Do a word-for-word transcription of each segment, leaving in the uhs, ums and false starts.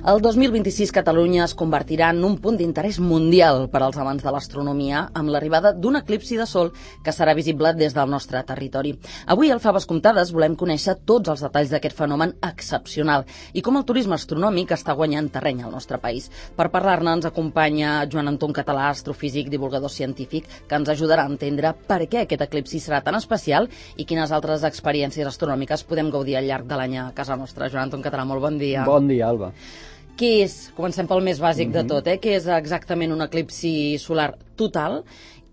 El dos mil vint-i-sis Catalunya es convertirà en un punt d'interès mundial per als amants de l'astronomia amb l'arribada d'un eclipsi de sol que serà visible des del nostre territori. Avui, al Faves Comptades, volem conèixer tots els detalls d'aquest fenomen excepcional i com el turisme astronòmic està guanyant terreny al nostre país. Per parlar-ne ens acompanya Joan Anton Català, astrofísic, divulgador científic, que ens ajudarà a entendre per què aquest eclipsi serà tan especial i quines altres experiències astronòmiques podem gaudir al llarg de l'any a casa nostra. Joan Anton Català, molt bon dia. Bon dia, Alba. Què és, comencem pel més bàsic mm-hmm. de tot, eh? Què és exactament un eclipsi solar total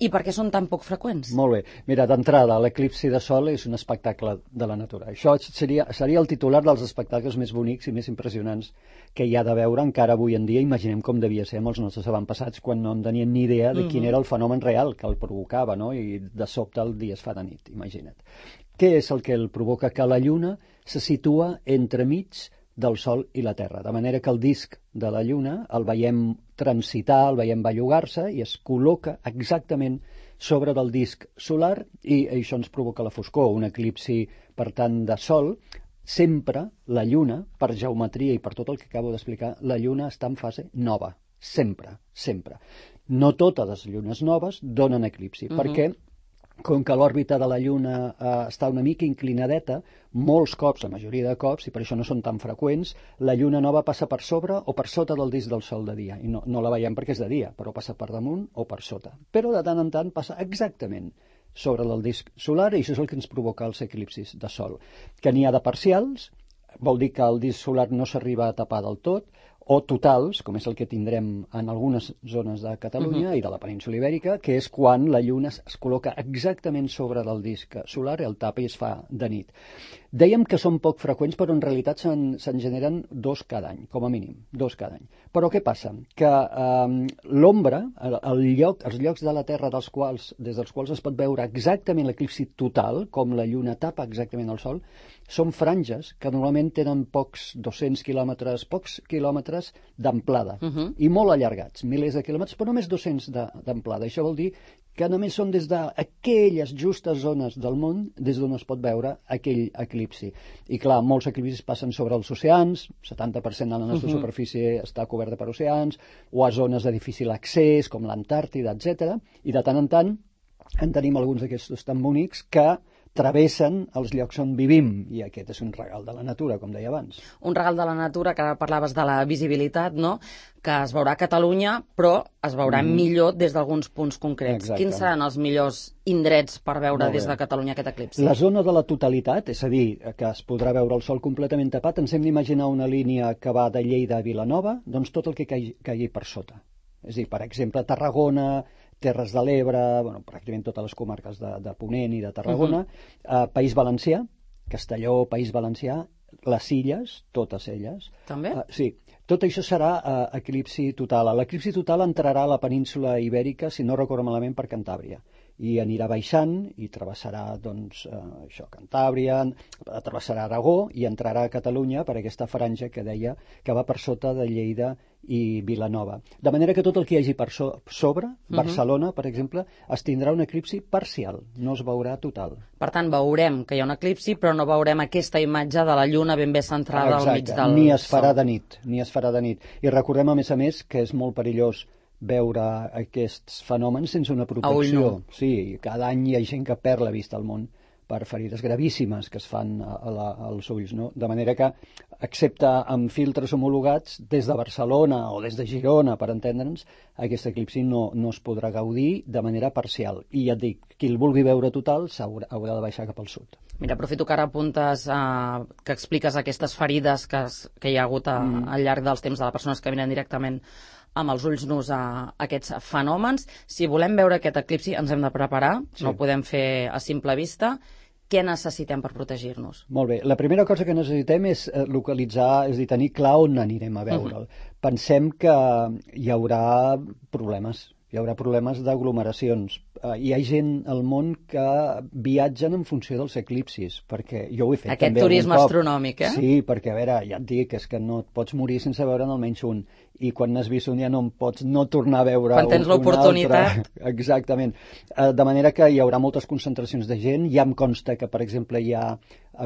i per què són tan poc freqüents? Molt bé. Mira, d'entrada, l'eclipsi de sol és un espectacle de la natura. Això seria, seria el titular dels espectacles més bonics i més impressionants que hi ha de veure encara avui en dia. Imaginem com devia ser amb els nostres avantpassats quan no en tenien ni idea de quin era el fenomen real que el provocava, no? I de sobte el dia es fa de nit, imagina't. Què és el que el provoca? Que la Lluna se situa entremig del Sol i la Terra, de manera que el disc de la Lluna el veiem transitar, el veiem bellugar-se i es col·loca exactament sobre del disc solar i això ens provoca la foscor, un eclipsi, per tant, de Sol. Sempre la Lluna, per geometria i per tot el que acabo d'explicar, la Lluna està en fase nova, sempre, sempre. No totes les llunes noves donen eclipsi, uh-huh. perquè com que l'òrbita de la Lluna eh, està una mica inclinadeta, molts cops, la majoria de cops, i per això no són tan freqüents, la Lluna nova passa per sobre o per sota del disc del Sol de dia. I no, no la veiem perquè és de dia, però passa per damunt o per sota. Però de tant en tant passa exactament sobre el disc solar i això és el que ens provoca els eclipsis de Sol. Que n'hi ha de parcials, vol dir que el disc solar no s'arriba a tapar del tot, o totals, com és el que tindrem en algunes zones de Catalunya uh-huh. i de la península Ibèrica, que és quan la Lluna es col·loca exactament sobre del disc solar i el tapa i es fa de nit. Dèiem que són poc freqüents, però en realitat se'n, se'n generen dos cada any, com a mínim, dos cada any. Però què passa? Que eh, l'ombra, el, el lloc, els llocs de la Terra dels quals, des dels quals es pot veure exactament l'eclipsi total, com la Lluna tapa exactament el Sol, són franges que normalment tenen pocs dos-cents quilòmetres, pocs quilòmetres d'amplada, uh-huh. i molt allargats, milers de quilòmetres, però només dos-cents d'amplada. Això vol dir que només són des d'aquelles justes zones del món des d'on es pot veure aquell eclipsi. I clar, molts eclipsis passen sobre els oceans, setanta per cent de la nostra uh-huh. superfície està coberta per oceans, o a zones de difícil accés, com l'Antàrtida, etcètera. I de tant en tant en tenim alguns d'aquests tan bonics que travessen els llocs on vivim, i aquest és un regal de la natura, com deia abans. Un regal de la natura, que ara parlaves de la visibilitat, no?, que es veurà a Catalunya, però es veurà mm. millor des d'alguns punts concrets. Exacte. Quins seran els millors indrets per veure des de Catalunya aquest eclipsi? La zona de la totalitat, és a dir, que es podrà veure el Sol completament tapat, ens hem d'imaginar una línia que va de Lleida a Vilanova, doncs tot el que caigui, caigui per sota. És a dir, per exemple, Tarragona, Terres de l'Ebre, bueno, pràcticament totes les comarques de, de Ponent i de Tarragona, uh-huh. eh, País Valencià, Castelló, País Valencià, les Illes, totes elles. També? Uh, sí, tot això serà uh, eclipsi total. L'eclipsi total entrarà a la península Ibèrica, si no recordo malament, per Cantàbria. I anirà baixant i travessarà, doncs, eh, això, Cantàbria, travessarà Aragó i entrarà a Catalunya per aquesta franja que deia que va per sota de Lleida i Vilanova. De manera que tot el que hi hagi per so sobre, uh-huh. Barcelona, per exemple, es tindrà un eclipsi parcial, no es veurà total. Per tant, veurem que hi ha un eclipsi, però no veurem aquesta imatge de la Lluna ben bé centrada Exacte. Al mig del ni es farà Sol. de nit, ni es farà de nit. I recordem, a més a més, que és molt perillós veure aquests fenòmens sense una protecció. No. Sí, cada any hi ha gent que perd la vista al món per ferides gravíssimes que es fan a la, als ulls, no? De manera que, excepte amb filtres homologats, des de Barcelona o des de Girona, per entendre'ns, aquest eclipsi no, no es podrà gaudir de manera parcial. I ja et dic, qui el vulgui veure total haurà, haurà de baixar cap al sud. Mira, aprofito que ara apuntes, eh, que expliques aquestes ferides que, es, que hi ha hagut a, mm. al llarg dels temps de les persones que venen directament amb els ulls nus a aquests fenòmens. Si volem veure aquest eclipsi ens hem de preparar, sí. no ho podem fer a simple vista. Què necessitem per protegir-nos? Molt bé. La primera cosa que necessitem és localitzar, és a dir, tenir clar on anirem a veure'l. Uh-huh. Pensem que hi haurà problemes hi haurà problemes d'aglomeracions. Uh, hi ha gent al món que viatgen en funció dels eclipsis, perquè jo ho he fet Aquest també turisme algun cop. astronòmic, eh? Sí, perquè, a veure, ja et dic, és que no et pots morir sense veure'n almenys un, i quan n'has vist un ja no en pots no tornar a veure quan tens un, l'oportunitat. Exactament. Uh, de manera que hi haurà moltes concentracions de gent. Ja em consta que, per exemple, hi ha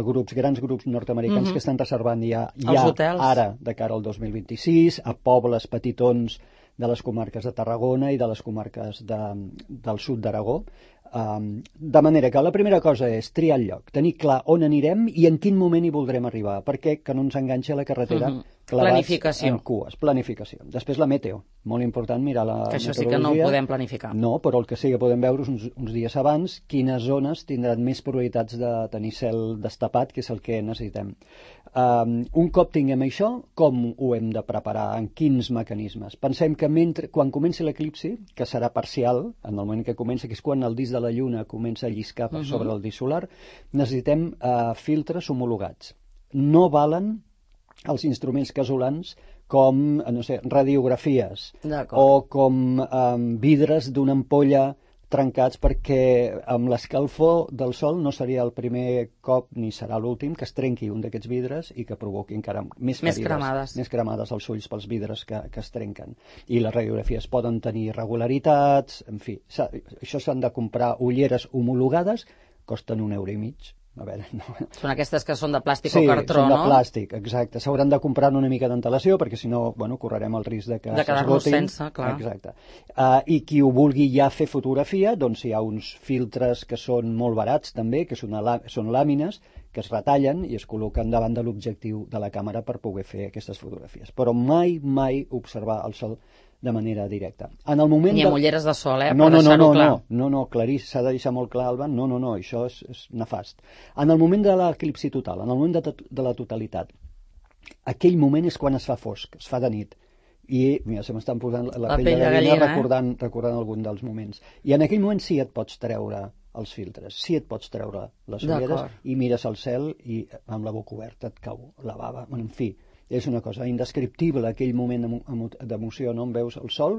grups, grans grups nord-americans mm-hmm. que estan reservant ja, ja ara, de cara al dos mil vint-i-sis, a pobles petitons de les comarques de Tarragona i de les comarques de, del sud d'Aragó. Um, de manera que la primera cosa és triar el lloc, tenir clar on anirem i en quin moment hi voldrem arribar, perquè que no ens enganxi a la carretera mm-hmm. clavats en cues. Planificació. Després la meteo, molt important mirar la que això meteorologia. Sí que no ho podem planificar. No, però el que sí que podem veure uns, uns dies abans quines zones tindran més probabilitats de tenir cel destapat, que és el que necessitem. Um, un cop tinguem això, com ho hem de preparar, en quins mecanismes? Pensem que mentre, quan comenci l'eclipsi, que serà parcial, en el moment que comença, que és quan el disc de la Lluna comença a lliscar per sobre uh-huh. el disc solar, necessitem uh, filtres homologats. No valen els instruments casolans com, no sé, radiografies o com um, vidres d'una ampolla trencats, perquè amb l'escalfor del sol no seria el primer cop ni serà l'últim que es trenqui un d'aquests vidres i que provoqui encara més ferides, més cremades, més cremades als ulls pels vidres que, que es trenquen. I les radiografies poden tenir irregularitats, en fi, això s'han de comprar ulleres homologades, costen un euro i mig. A veure, no. Són aquestes que són de plàstic sí, o cartró, no? Sí, són de plàstic, exacte. S'hauran de comprar una mica d'antelació perquè si no, bueno, correrem el risc de que de quedar-nos sense, clar. Exacte. Uh, I qui ho vulgui ja fer fotografia, doncs hi ha uns filtres que són molt barats també, que són, són làmines que es retallen i es col·loquen davant de l'objectiu de la càmera per poder fer aquestes fotografies. Però mai, mai observar el sol de manera directa. En el moment Ni amb de... ulleres de sol, eh? No, per no, deixar-ho no, no, clar. No, no, no, clarís, s'ha de deixar molt clar, Alba, no, no, no, això és, és nefast. En el moment de l'eclipsi total, en el moment de, de la totalitat, aquell moment és quan es fa fosc, es fa de nit. I, mira, se m'estan posant la, la pell de gallina, gallina recordant, eh? recordant algun dels moments. I en aquell moment sí et pots treure els filtres, sí et pots treure les ulleres i mires al cel i amb la boca oberta et cau la bava, en fi. És una cosa indescriptible, aquell moment d'emoció, no? On veus el sol,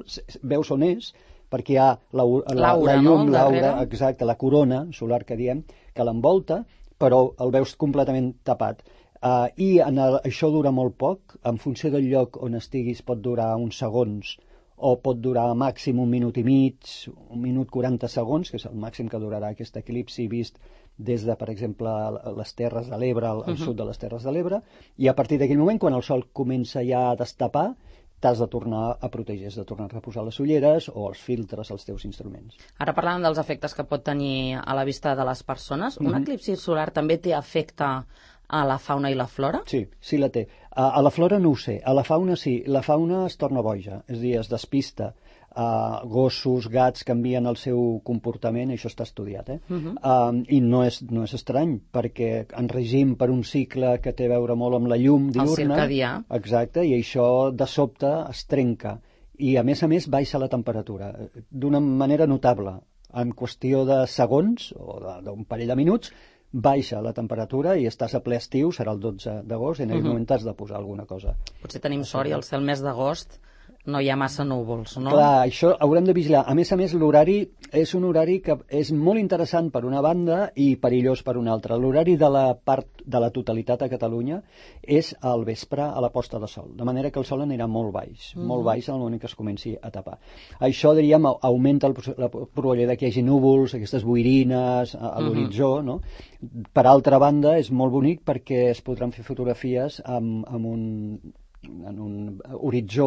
veus on és, perquè hi ha la, la, la llum, no? l'aura, exacte, la corona solar que diem, que l'envolta, però el veus completament tapat. Uh, I en el, això dura molt poc, en funció del lloc on estiguis pot durar uns segons, o pot durar màxim un minut i mig, un minut quaranta segons, que és el màxim que durarà aquest eclipsi vist des de, per exemple, les Terres de l'Ebre, al, al uh-huh. sud de les Terres de l'Ebre, i a partir d'aquell moment, quan el sol comença ja a destapar, t'has de tornar a protegir, has de tornar a reposar les ulleres o els filtres als teus instruments. Ara parlàvem dels efectes que pot tenir a la vista de les persones. Un uh-huh. eclipsi solar també té efecte a la fauna i la flora? Sí, sí la té. A, a la flora no ho sé, a la fauna sí. La fauna es torna boja, és a dir, es despista. Uh, gossos, gats canvien el seu comportament, això està estudiat, eh? Uh-huh. uh, i no és, no és estrany, perquè en regim per un cicle que té a veure molt amb la llum diürna, el circadià, exacte, i això de sobte es trenca, i a més a més baixa la temperatura d'una manera notable, en qüestió de segons o d'un parell de minuts baixa la temperatura i estàs a ple estiu, serà el dotze d'agost, i en aquell uh-huh. moment t'has de posar alguna cosa. Potser tenim sort i al ser el mes d'agost no hi ha massa núvols, no? Clar, això haurem de vigilar. A més a més, l'horari és un horari que és molt interessant per una banda i perillós per una altra. L'horari de la part de la totalitat a Catalunya és al vespre a la posta de sol, de manera que el sol anirà molt baix, mm. molt baix en el moment que es comenci a tapar. Això, diríem, augmenta el, la probabilitat que hi hagi núvols, aquestes boirines a, a l'horitzó, mm-hmm. no? Per altra banda, és molt bonic perquè es podran fer fotografies amb, amb un en un horitzó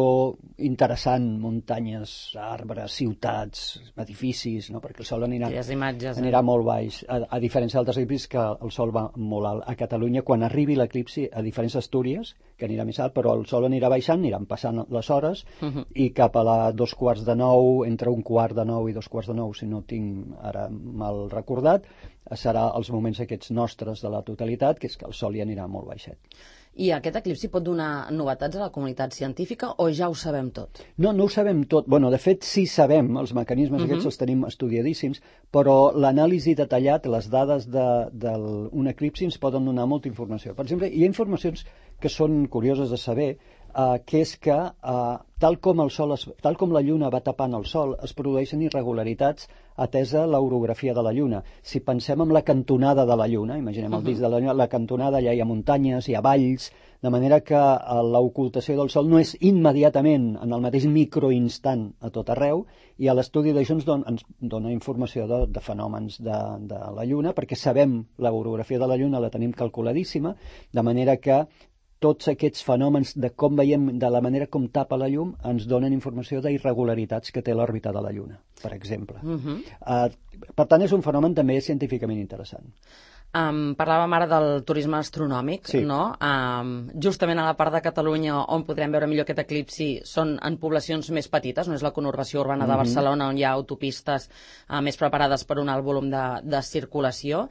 interessant, muntanyes, arbres, ciutats, edificis, no? Perquè el sol anirà, imatges, anirà eh? molt baix, a, a diferència d'altres eclipsis que el sol va molt alt. A Catalunya, quan arribi l'eclipsi, a diferents d'Astúries, que anirà més alt, però el sol anirà baixant, aniran passant les hores, uh-huh. i cap a la dos quarts de nou, entre un quart de nou i dos quarts de nou, si no tinc ara mal recordat, serà els moments aquests nostres de la totalitat, que és que el sol hi anirà molt baixet. I aquest eclipsi pot donar novetats a la comunitat científica o ja ho sabem tot? No, no ho sabem tot. Bueno, de fet, sí sabem, els mecanismes uh-huh. aquests els tenim estudiadíssims, però l'anàlisi detallat, les dades d'un de, de eclipsi ens poden donar molta informació. Per exemple, hi ha informacions que són curioses de saber. uh, que és que uh, tal com el sol es, tal com la Lluna va tapant el Sol, es produeixen irregularitats atesa l'orografia de la Lluna. Si pensem en la cantonada de la Lluna, imaginem el disc de la Lluna, la cantonada, allà hi ha muntanyes, hi ha valls, de manera que uh, l'ocultació del Sol no és immediatament, en el mateix microinstant a tot arreu, i a l'estudi d'això ens, don, ens dona informació de, de fenòmens de, de la Lluna, perquè sabem l'orografia de la Lluna, la tenim calculadíssima, de manera que tots aquests fenòmens de com veiem, de la manera com tapa la llum, ens donen informació d'irregularitats que té l'òrbita de la Lluna, per exemple. Uh-huh. uh, per tant, és un fenomen també científicament interessant. Um, parlàvem ara del turisme astronòmic, sí. no? Um, justament a la part de Catalunya on podrem veure millor aquest eclipsi són en poblacions més petites, no és la conurbació urbana de Barcelona, on hi ha autopistes uh, més preparades per un alt volum de, de circulació.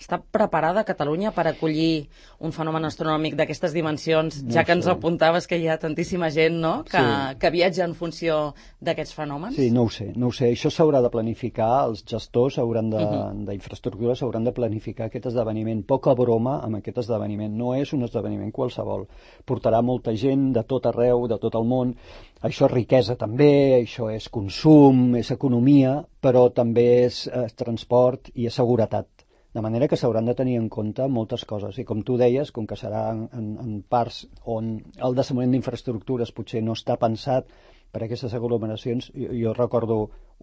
Està preparada Catalunya per acollir un fenomen astronòmic d'aquestes dimensions, no ja que ens sé. apuntaves que hi ha tantíssima gent, no?, que, sí. que viatja en funció d'aquests fenòmens? Sí, no ho sé, no ho sé. Això s'haurà de planificar, els gestors hauran de, uh-huh. d'infraestructures hauran de planificar aquest esdeveniment. Poca broma amb aquest esdeveniment. No és un esdeveniment qualsevol. Portarà molta gent de tot arreu, de tot el món. Això és riquesa també, això és consum, és economia, però també és, és transport i és seguretat. De manera que s'hauran de tenir en compte moltes coses. I com tu deies, com que serà en, en parts on el desenvolupament d'infraestructures potser no està pensat per a aquestes aglomeracions, jo, jo recordo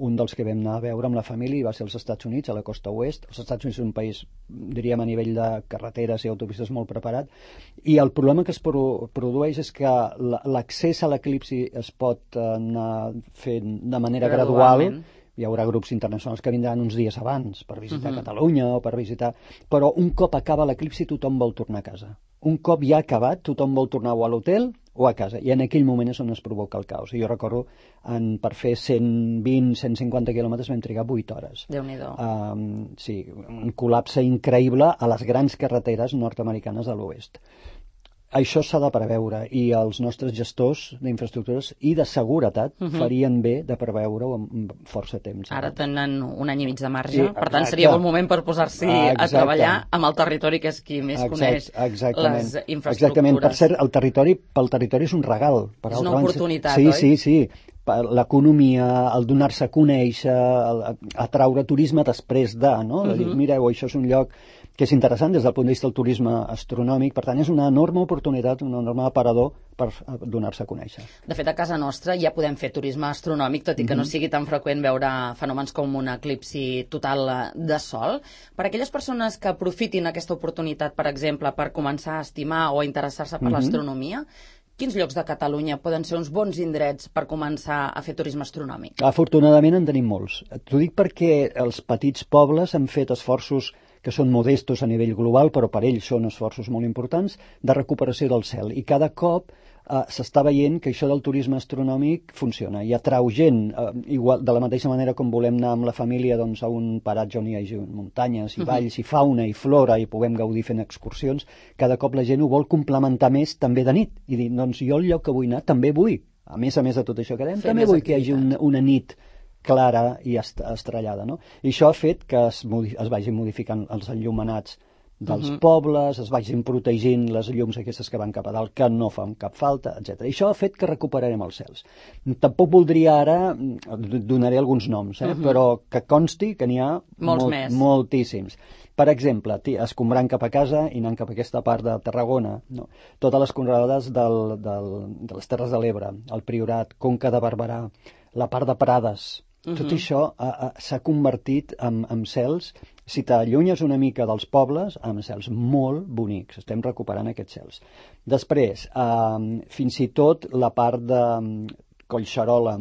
un dels que vam anar a veure amb la família i va ser als Estats Units, a la costa oest. Els Estats Units és un país, diríem, a nivell de carreteres i autopistes molt preparat, i el problema que es pro produeix és que l'accés a l'eclipsi es pot anar fent de manera gradual. Hi haurà grups internacionals que vindran uns dies abans per visitar uh-huh. Catalunya o per visitar... Però un cop acaba l'eclipsi tothom vol tornar a casa. Un cop ja ha acabat tothom vol tornar o a l'hotel o a casa. I en aquell moment és on es provoca el caos. I jo recordo, en, per fer cent vint a cent cinquanta quilòmetres vam trigar vuit hores. Déu-n'hi-do. Um, sí, un col·lapse increïble a les grans carreteres nord-americanes de l'oest. Això s'ha de preveure i els nostres gestors d'infraestructures i de seguretat uh-huh. farien bé de preveure-ho amb força temps. Ara tenen un any i mig de marge, sí, per tant seria bon moment per posar-s'hi a treballar amb el territori, que és qui més Exacte, coneix exactament. les infraestructures. Exactament, per cert, el territori, pel territori és un regal. Per és una oportunitat, sí, oi? Sí, sí, sí. L'economia, el donar-se a conèixer, el, atraure turisme després de, no? Uh-huh. De dir, mireu, això és un lloc que és interessant des del punt de vista del turisme astronòmic, per tant és una enorme oportunitat, un enorme aparador per donar-se a conèixer. De fet, a casa nostra ja podem fer turisme astronòmic, tot i que mm-hmm. no sigui tan freqüent veure fenòmens com un eclipsi total de sol. Per aquelles persones que aprofitin aquesta oportunitat, per exemple, per començar a estimar o a interessar-se per mm-hmm. l'astronomia, quins llocs de Catalunya poden ser uns bons indrets per començar a fer turisme astronòmic? Afortunadament en tenim molts. T'ho dic perquè els petits pobles han fet esforços que són modestos a nivell global, però per ells són esforços molt importants, de recuperació del cel. I cada cop eh, s'està veient que això del turisme astronòmic funciona i atrau gent, eh, igual, de la mateixa manera com volem anar amb la família doncs, a un paratge on hi hagi muntanyes i valls uh-huh. i fauna i flora i puguem gaudir fent excursions, cada cop la gent ho vol complementar més també de nit. I dir, doncs jo el lloc que vull anar també vull, a més a més de tot això que dèiem, també vull activitat. Que hi hagi un, una nit clara i estrellada, no? I això ha fet que es, es vagin modificant els enllumenats dels uh-huh. pobles, es vagin protegint les llums aquestes que van cap a dalt, que no fan cap falta, etcètera. I això ha fet que recuperarem els cels. Tampoc voldria ara, donaré alguns noms, eh? uh-huh. però que consti que n'hi ha molts molt, més. moltíssims. Per exemple, escombrant cap a casa i anant cap a aquesta part de Tarragona, no? Totes les conreades del, del, de les Terres de l'Ebre, el Priorat, Conca de Barberà, la part de Prades. Uh-huh. Tot això s'ha convertit en, en cels, si t'allunyes una mica dels pobles, en cels molt bonics. Estem recuperant aquests cels. Després, eh, fins i tot la part de Collserola,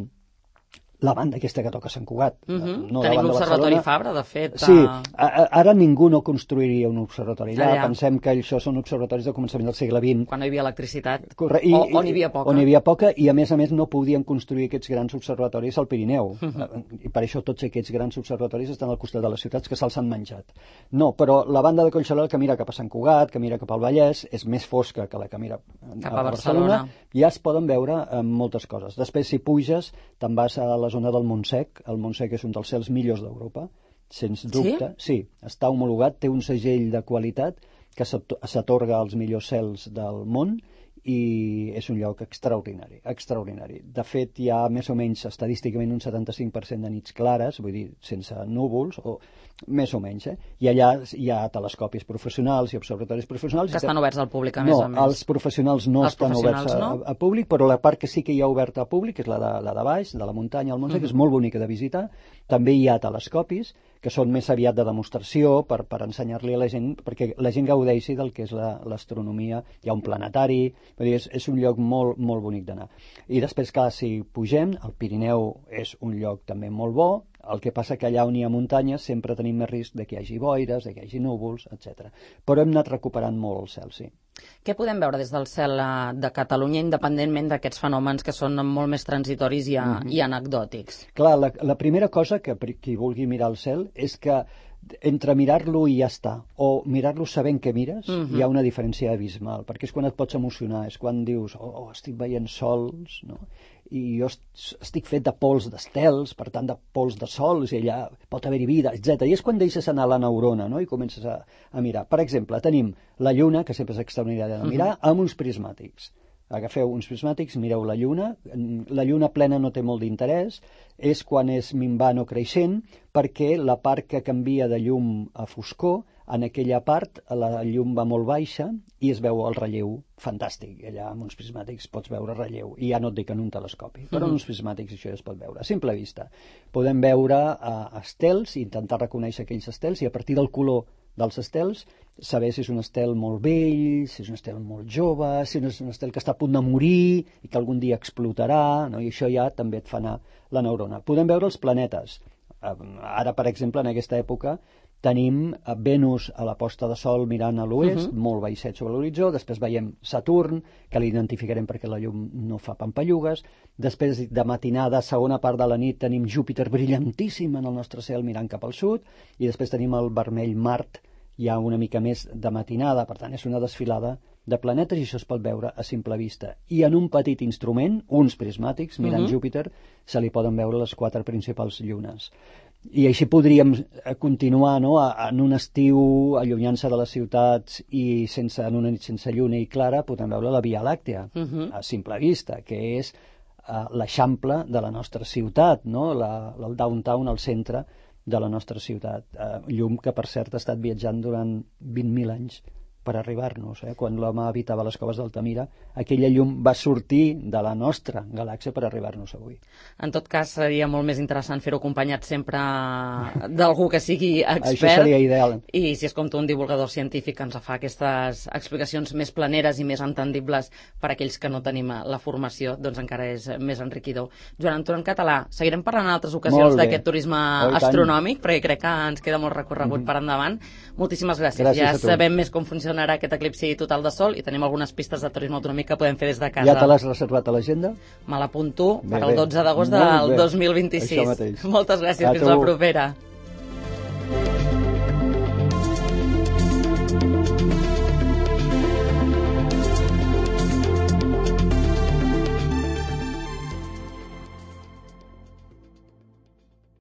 la banda aquesta que toca Sant Cugat. Uh-huh. No Tenim l'Observatori Fabra, de fet. Sí, a... ara ningú no construiria un observatori allà. allà. Pensem que això són observatoris del començament del segle vint. Quan no hi havia electricitat. Corre... I, o on hi havia poca. On hi havia poca, i a més a més no podien construir aquests grans observatoris al Pirineu. Uh-huh. I per això tots aquests grans observatoris estan al costat de les ciutats, que se'ls han menjat. No, però la banda de Collserola que mira cap a Sant Cugat, que mira cap al Vallès, és més fosca que la que mira cap a, a Barcelona. Barcelona. Ja es poden veure eh, moltes coses. Després, si puges, te'n vas a la zona del Montsec. El Montsec és un dels cels millors d'Europa, sens dubte. Sí? Sí, està homologat, té un segell de qualitat que s'atorga als millors cels del món i és un lloc extraordinari, extraordinari. De fet, hi ha més o menys estadísticament un setanta-cinc per cent de nits clares, vull dir, sense núvols, o més o menys, eh? I allà hi ha telescopis professionals i observatoris professionals. Que estan oberts al públic, a més no, a més. No, els professionals no els estan professionals, oberts a, no? a, a públic, però la part que sí que hi ha oberta a públic és la de, la de baix, de la muntanya al Montsec, uh -huh. que és molt bonica de visitar. També hi ha telescopis, que són més aviat de demostració per, per ensenyar-li a la gent, perquè la gent gaudeixi del que és l'astronomia. Hi ha un planetari, vull dir, és, és un lloc molt, molt bonic d'anar. I després, clar, si pugem, el Pirineu és un lloc també molt bo, el que passa que allà on hi ha muntanyes sempre tenim més risc de que hi hagi boires, de que hi hagi núvols, etcètera. Però hem anat recuperant molt el cel, sí. Què podem veure des del cel de Catalunya, independentment d'aquests fenòmens que són molt més transitoris i, a, mm-hmm. i anecdòtics? Clar, la, la primera cosa que qui vulgui mirar el cel és que entre mirar-lo i ja està, o mirar-lo sabent que mires, mm-hmm. hi ha una diferència abismal, perquè és quan et pots emocionar, és quan dius, oh, oh estic veient sols, no? I jo estic fet de pols d'estels, per tant de pols de sols, i allà pot haver-hi vida, etcètera. I és quan deixes anar la neurona, no? I comences a, a mirar. Per exemple, tenim la lluna, que sempre és extraordinària de mirar, uh-huh. amb uns prismàtics. Agafeu uns prismàtics, mireu la lluna. La lluna plena no té molt d'interès, és quan és minvant o creixent, perquè la part que canvia de llum a foscor, en aquella part la llum va molt baixa i es veu el relleu fantàstic. Allà amb uns prismàtics pots veure relleu, i ja no et dic en un telescopi, però en uns prismàtics això ja es pot veure. A simple vista podem veure uh, estels, intentar reconèixer aquells estels, i a partir del color dels estels saber si és un estel molt vell, si és un estel molt jove, si és un estel que està a punt de morir i que algun dia explotarà, no? I això ja també et fa anar la neurona. Podem veure els planetes. Ara, per exemple, en aquesta època tenim Venus a la posta de sol mirant a l'oest, uh-huh. molt baixet sobre l'horitzó. Després veiem Saturn, que l'identificarem perquè la llum no fa pampallugues. Després, de matinada, segona part de la nit, tenim Júpiter brillantíssim en el nostre cel mirant cap al sud, i després tenim el vermell Mart, ja una mica més de matinada. Per tant, és una desfilada de planetes, i això es pot veure a simple vista. I en un petit instrument, uns prismàtics, mirant uh-huh. Júpiter, se li poden veure les quatre principals llunes. I així podríem continuar, no?, en un estiu, allunyant-se de les ciutats i sense, en una nit sense lluna i clara, podem veure la Via Làctea, uh-huh. a simple vista, que és uh, l'eixample de la nostra ciutat, no?, la, el downtown, el centre de la nostra ciutat. Uh, llum que, per cert, ha estat viatjant durant vint mil anys per arribar-nos. Eh? Quan l'home habitava les coves d'Altamira, aquella llum va sortir de la nostra galàxia per arribar-nos avui. En tot cas, seria molt més interessant fer-ho acompanyat sempre d'algú que sigui expert. Això seria ideal. I si és com tu, un divulgador científic que ens fa aquestes explicacions més planeres i més entendibles per a aquells que no tenim la formació, doncs encara és més enriquidor. Joan Anton, en català, seguirem parlant en altres ocasions d'aquest turisme oh, astronòmic, perquè crec que ens queda molt recorregut mm-hmm. per endavant. Moltíssimes gràcies. Gràcies ja sabem més com funciona aquest eclipsi total de sol i tenim algunes pistes de turisme autonòmic que podem fer des de casa. Ja te l'has reservat a l'agenda? Me l'apunto per al dotze d'agost del dos mil vint-i-sis. Moltes gràcies, fins la propera.